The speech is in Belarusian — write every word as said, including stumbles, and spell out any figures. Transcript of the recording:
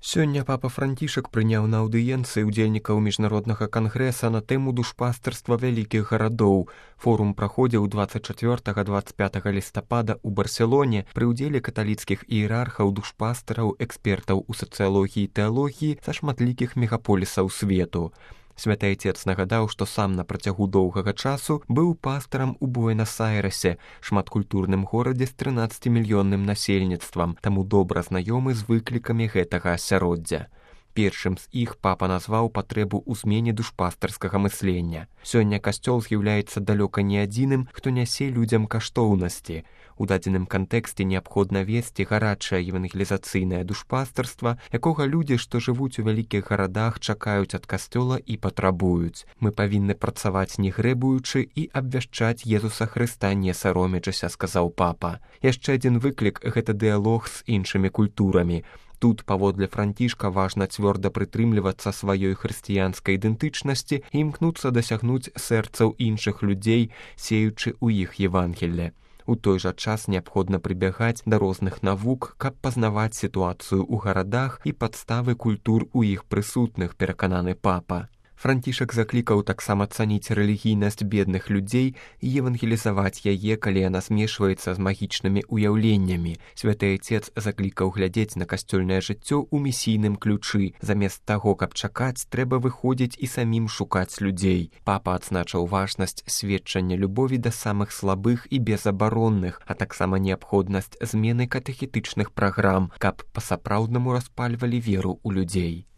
Сёння папа Францішак прыняў на аўдыенцыі ўдзельнікаў міжнароднага кангрэса на тэму душпастарства вялікіх гарадоў. Форум праходзіў дваццаць чацвёртага - дваццаць пятага лістапада ў Барселоне пры ўдзеле каталіцкіх іерархаў, душпастараў, экспертаў у сацыялогіі і тэалогіі са шматлікіх мегаполісаў свету. Святы Айцец нагадаў, што сам на працягу доўгага часу быў пастарам у Буэнас-Айрэсе, шматкультурным горадзе з трынаццацімільённым насельніцтвам, таму добра знаёмы з выклікамі гэтага асяроддзя. Першым з іх папа назваў патрэбу ў змене душпастарскага мыслення. Сёння касцёл з'яўляецца далёка не адзіным, хто нясе людзям каштоўнасці. У дадзеным кантэксце неабходна весці гарачае евангелізацыйнае душпастарства, якога людзі, што жывуць у вялікіх гарадах, чакаюць ад касцёла і патрабуюць. Мы павінны працаваць не грэбуючы і абвяшчаць Езуса Хрыста не саромячыся, сказаў папа. Яшчэ адзін выклік – гэта дыялог з іншымі культурамі. Тут, паводле Францішка, важна цвёрда прытрымлівацца сваёй хрысціянскай ідэнтычнасці і імкнуцца дасягнуць сэрцаў іншых людзей, сеючы ў іх Евангелле. У той жа час неабходна прыбягаць да розных навук, каб пазнаваць сітуацыю ў гарадах і падставы культур у іх прысутных, перакананы папа. Францішак заклікаў таксама цаніць рэлігійнасць бедных людзей і евангелізаваць яе, калі яна змешваецца з магічнымі ўяўленнямі. Святы Айцец заклікаў глядзець на касцёльнае жыццё ў місійным ключы. Замест таго, каб чакаць, трэба выходзіць і самім шукаць людзей. Папа адзначыў важнасць сведчання любові да самых слабых і безабаронных, а таксама неабходнасць змены катэхетычных праграм, каб па-сапраўднаму распальвалі веру ў людзей.